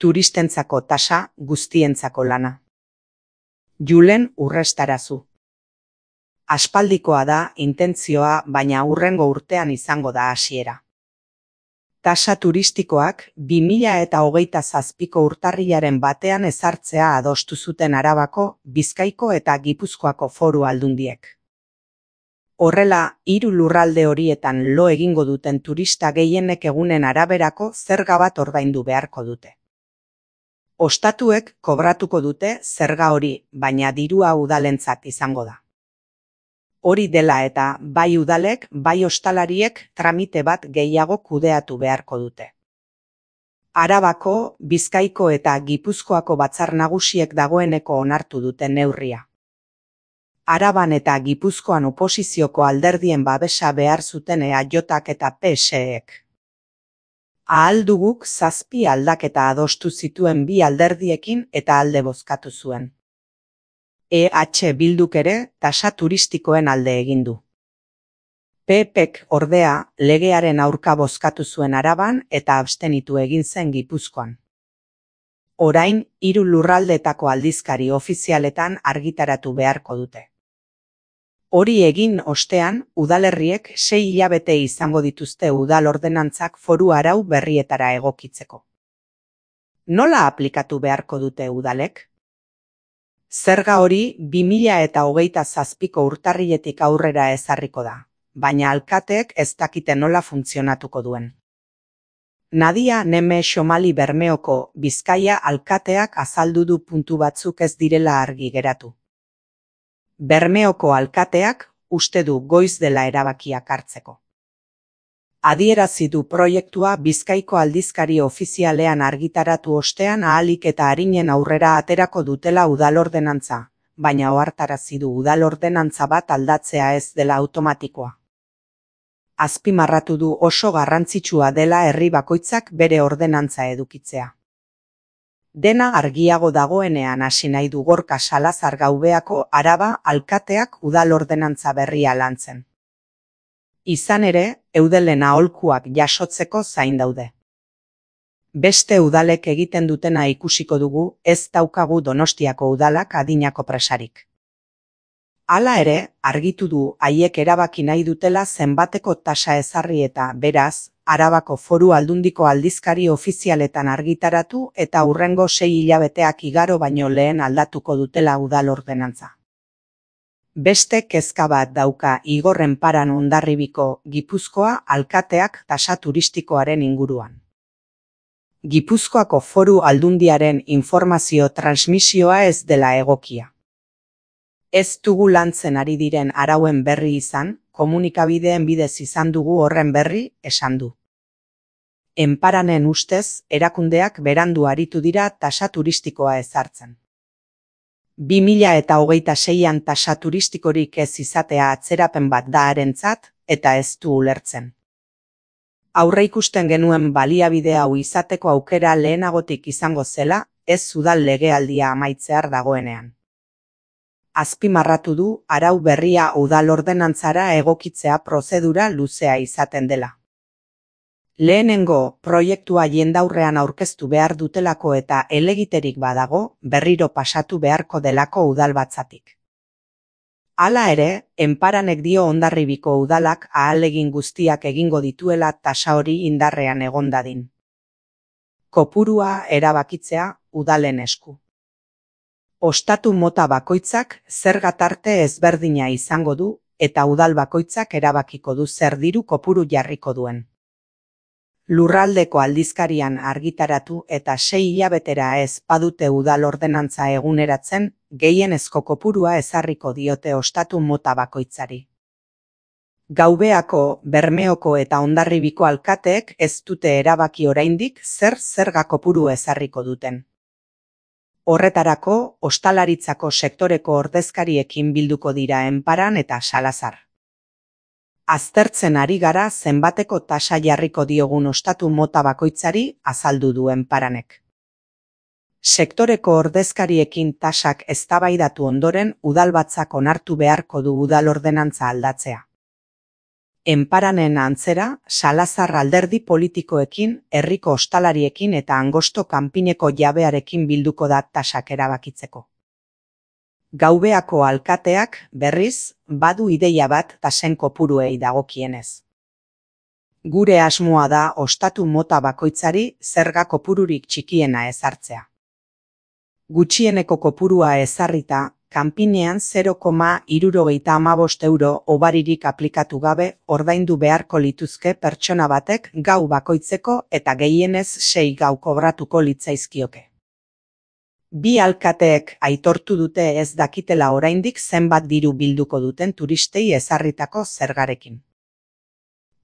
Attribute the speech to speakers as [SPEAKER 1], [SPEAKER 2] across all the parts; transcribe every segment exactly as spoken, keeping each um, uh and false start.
[SPEAKER 1] Turistentzako tasa, guztientzako lana. Julen Urrestarazu. Aspaldikoa da intentzioa, baina hurrengo urtean izango da hasiera. Tasa turistikoak bi mila eta hogeita zazpiko urtarrilaren batean ezartzea adostu zuten Arabako, Bizkaiko eta Gipuzkoako foru aldundiek. Horrela, hiru lurralde horietan lo egingo duten turista gehienek egunen araberako zerga bat ordaindu beharko dute. Ostatuek kobratuko dute zerga hori, baina dirua udalentzat izango da. Hori dela eta bai udalek, bai ostalariek tramite bat gehiago kudeatu beharko dute. Arabako, Bizkaiko eta Gipuzkoako batzar nagusiek dagoeneko onartu dute neurria. Araban eta Gipuzkoan oposizioko alderdien babesa behar zuten E A Jak eta P S Ek. Ahal duguk zazpi aldaketa adostu zituen bi alderdiekin eta alde bozkatu zuen. E H Bilduk ere tasa turistikoen alde egin du. P Pek ordea legearen aurka bozkatu zuen Araban eta abstenitu egin zen Gipuzkoan. Orain, hiru lurraldeetako aldizkari ofizialetan argitaratu beharko dute. Hori egin ostean, udalerriek sei hilabete izango dituzte udal ordenantzak foru arau berrietara egokitzeko. Nola aplikatu beharko dute udalek? Zerga hori bi mila eta hogeita zazpiko urtarriletik aurrera ezarriko da, baina alkateek ez dakite nola funtzionatuko duen. Nadia Neme Xomali Bermeoko Bizkaia alkateak azaldu du puntu batzuk ez direla argi geratu. Bermeoko alkateak uste du goiz dela erabakiak hartzeko. Adierazi du proiektua Bizkaiko aldizkari ofizialean argitaratu ostean ahalik eta arinen aurrera aterako dutela udal ordenantza, baina ohartarazi du udal ordenantza bat aldatzea ez dela automatikoa. Azpimarratu du oso garrantzitsua dela herri bakoitzak bere ordenantza edukitzea. Dena argiago dagoenean hasi nahi du Gorka Salazar Gaubeako Araba alkateak udal ordenantza berria lantzen. Izan ere, eudelen aholkuak jasotzeko zain daude. Beste udalek egiten dutena ikusiko dugu, ez daukagu Donostiako udalak adinako presarik. Hala ere, argitu du haiek erabaki nahi dutela zenbateko tasa ezarri eta, beraz, Arabako foru aldundiko aldizkari ofizialetan argitaratu eta hurrengo sei hilabeteak igaro baino lehen aldatuko dutela udal ordenantza. Beste kezka bat dauka Igor Enparan Hondarribiko Gipuzkoa alkateak tasa turistikoaren inguruan. Gipuzkoako foru aldundiaren informazio transmisioa ez dela egokia. Ez dugu lantzen ari diren arauen berri izan, komunikabideen bidez izan dugu horren berri, esan du. Enparanen ustez, erakundeak berandu aritu dira tasa turistikoa ezartzen. bi mila eta hogeita seian tasa turistikorik ez izatea atzerapen bat da harentzat eta ez du ulertzen. Aurreikusten genuen baliabide hau izateko aukera lehenagotik izango zela, ez udal legealdia amaitzear dagoenean. Azpimarratu du arau berria udal ordenantzara egokitzea prozedura luzea izaten dela. Lehenengo proiektua jendaurrean aurkeztu behar dutelako eta helegiterik badago, berriro pasatu beharko delako udalbatzatik. Hala ere, Enparanek dio Hondarribiko udalak ahalegin guztiak egingo dituela tasa hori indarrean egon dadin. Kopurua erabakitzea udalen esku. Ostatu mota bakoitzak zerga tarte ezberdina izango du eta udal bakoitzak erabakiko du zer diru kopuru jarriko duen. Lurraldeko aldizkarian argitaratu eta sei hilabetera ez badute udal ordenantza eguneratzen, gehienezko kopurua ezarriko diote ostatu mota bakoitzari. Gaubeako, Bermeoko eta Hondarribiko alkateek ez dute erabaki oraindik zer zerga kopuru ezarriko duten. Horretarako, ostalaritzako sektoreko ordezkariekin bilduko dira Enparan eta Salazar. Aztertzen ari gara zenbateko tasa jarriko diogun ostatu mota bakoitzari azaldu du Enparanek. Sektoreko ordezkariekin tasak eztabaidatu ondoren udalbatzak onartu beharko du udal ordenantza aldatzea. Enparanen antzera, Salazar alderdi politikoekin, herriko ostalariekin eta Angosto kanpineko jabearekin bilduko da tasak erabakitzeko. Gaubeako alkateak, berriz, badu ideia bat tasen kopuruei dagokienez. Gure asmoa da ostatu mota bakoitzari zerga kopururik txikiena ezartzea. Gutxieneko kopurua ezarrita, kanpinean zero koma hirurogeita hamabost euro obaririk aplikatu gabe ordaindu beharko lituzke pertsona batek gau bakoitzeko eta gehienez sei gau kobratuko litzaizkioke. Bi alkateek aitortu dute ez dakitela oraindik zenbat diru bilduko duten turistei ezarritako zergarekin.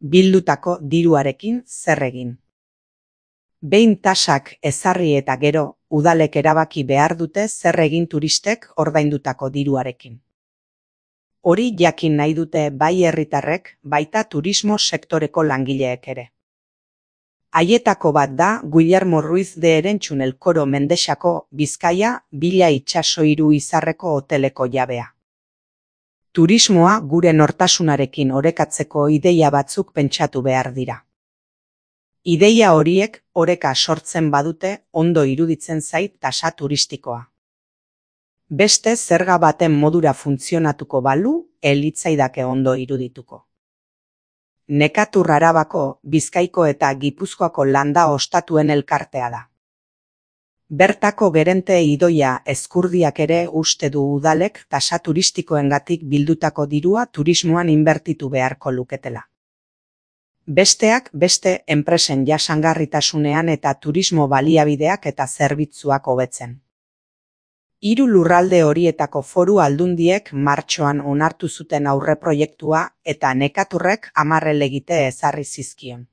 [SPEAKER 1] Bildutako diruarekin zer egin. Behin tasak ezarri eta gero, udalek erabaki behar dute zer egin turistek ordaindutako diruarekin. Hori jakin nahi dute bai herritarrek, baita turismo sektoreko langileek ere. Haietako bat da Guillermo Ruiz de Erentzun Elkoro Mendexako Bizkaia Bila itsaso hiru izarreko hoteleko jabea. Turismoa gure nortasunarekin orekatzeko ideia batzuk pentsatu behar dira. Ideia horiek oreka sortzen badute ondo iruditzen zait tasa turistikoa. Beste zerga baten modura funtzionatuko balu, elitzaidake ondo irudituko. Nekatur Arabako, Bizkaiko eta Gipuzkoako landa ostatuen elkartea da. Bertako gerente Idoia Ezkurdiak ere uste du udalek tasa turistikoengatik bildutako dirua turismoan inbertitu beharko luketela. Besteak beste enpresen jasangarritasunean eta turismo baliabideak eta zerbitzuak hobetzen. Hiru lurralde horietako foru aldundiek martxoan onartu zuten aurreproiektua eta Nekaturrek hamar helegite ezarri zizkion.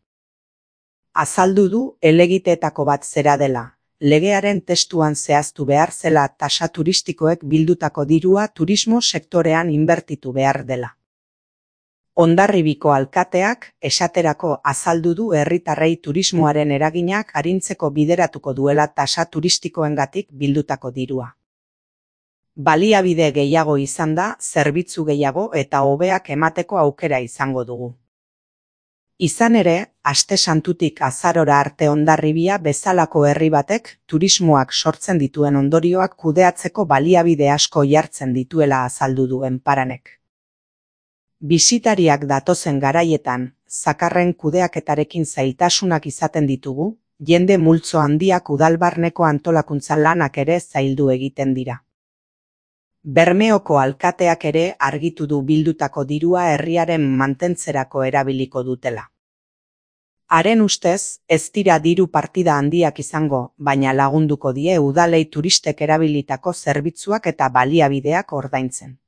[SPEAKER 1] Azaldu du helegiteetako bat zera dela, legearen testuan zehaztu behar zela tasa turistikoek bildutako dirua turismo sektorean inbertitu behar dela. Hondarribiko alkateak esaterako azaldu du herritarrei turismoaren eraginak arintzeko bideratuko duela tasa turistikoengatik bildutako dirua. Baliabide gehiago izan da, zerbitzu gehiago eta hobeak emateko aukera izango dugu. Izan ere, aste santutik azarora arte Hondarribia bezalako herri batek turismoak sortzen dituen ondorioak kudeatzeko baliabide asko jartzen dituela azaldu du Enparanek. Bisitariak datozen garaietan, zakarren kudeaketarekin zailtasunak izaten ditugu, jende multzo handiak udalbarneko antolakuntza lanak ere zaildu egiten dira. Bermeoko alkateak ere argitu du bildutako dirua herriaren mantentzerako erabiliko dutela. Haren ustez, ez dira diru partida handiak izango, baina lagunduko die udalei turistek erabilitako zerbitzuak eta baliabideak ordaintzen.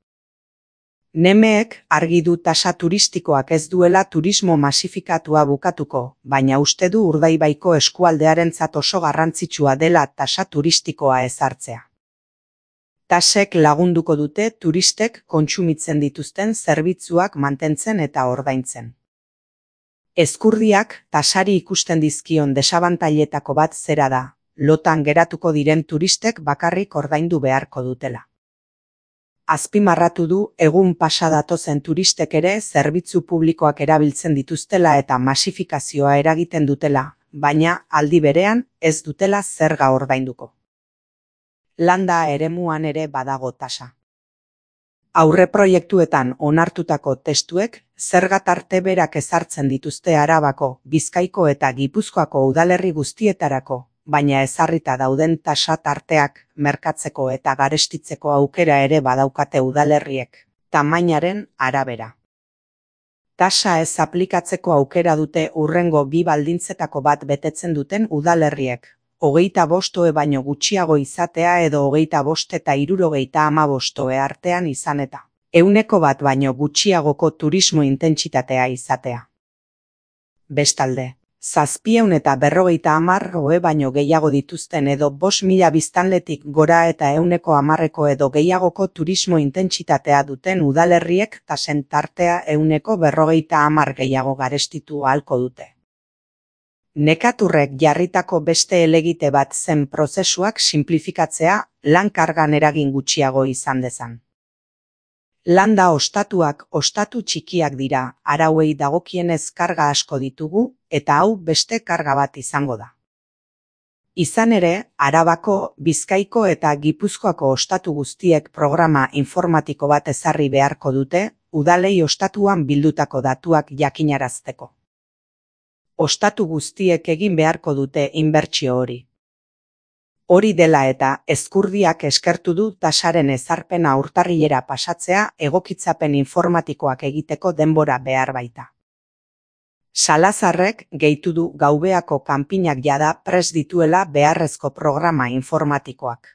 [SPEAKER 1] Nemeek argi du tasa turistikoak ez duela turismo masifikatua bukatuko, baina uste du Urdaibaiko eskualdearentzat oso garrantzitsua dela tasa turistikoa ezartzea. Tasek lagunduko dute turistek kontsumitzen dituzten zerbitzuak mantentzen eta ordaintzen. Ezkurdiak tasari ikusten dizkion desabantailetako bat zera da, lotan geratuko diren turistek bakarrik ordaindu beharko dutela. Azpimarratu du egun pasa datozen turistek ere zerbitzu publikoak erabiltzen dituztela eta masifikazioa eragiten dutela, baina aldi berean ez dutela zerga ordainduko. Landa eremuan ere badago tasa. Aurreproiektuetan onartutako testuek zerga tarte berak ezartzen dituzte Arabako, Bizkaiko eta Gipuzkoako udalerri guztietarako, baina ezarrita dauden tasa tarteak merkatzeko eta garestitzeko aukera ere badaukate udalerriek, tamainaren arabera. Tasa ez aplikatzeko aukera dute hurrengo bi baldintzetako bat betetzen duten udalerriek, hogeita bostoe baino gutxiago izatea edo hogeita bost eta hirurogeita hamabostoe artean izan eta, ehuneko bat baino gutxiagoko turismo intentsitatea izatea. Bestalde, zazpieun eta berrogeita hamar ohe baino gehiago dituzten edo bost mila biztanletik gora eta ehuneko hamarreko edo gehiagoko turismo intentsitatea duten udalerriek tasen tartea ehuneko berrogeita hamar gehiago garestitu ahalko dute. Nekaturrek jarritako beste helegite bat zen prozesuak sinplifikatzea lan kargan eragin gutxiago izan dezan. Landa ostatuak ostatu txikiak dira, arauei dagokienez karga asko ditugu, eta hau beste karga bat izango da. Izan ere, Arabako, Bizkaiko eta Gipuzkoako ostatu guztiek programa informatiko bat ezarri beharko dute, udalei ostatuan bildutako datuak jakinarazteko. Ostatu guztiek egin beharko dute inbertsio hori. Hori dela eta, Ezkurdiak eskertu du tasaren ezarpena urtarrilera pasatzea egokitzapen informatikoak egiteko denbora behar baita. Salazarrek gehitu du gaubeako kanpinak jada prest dituela beharrezko programa informatikoak.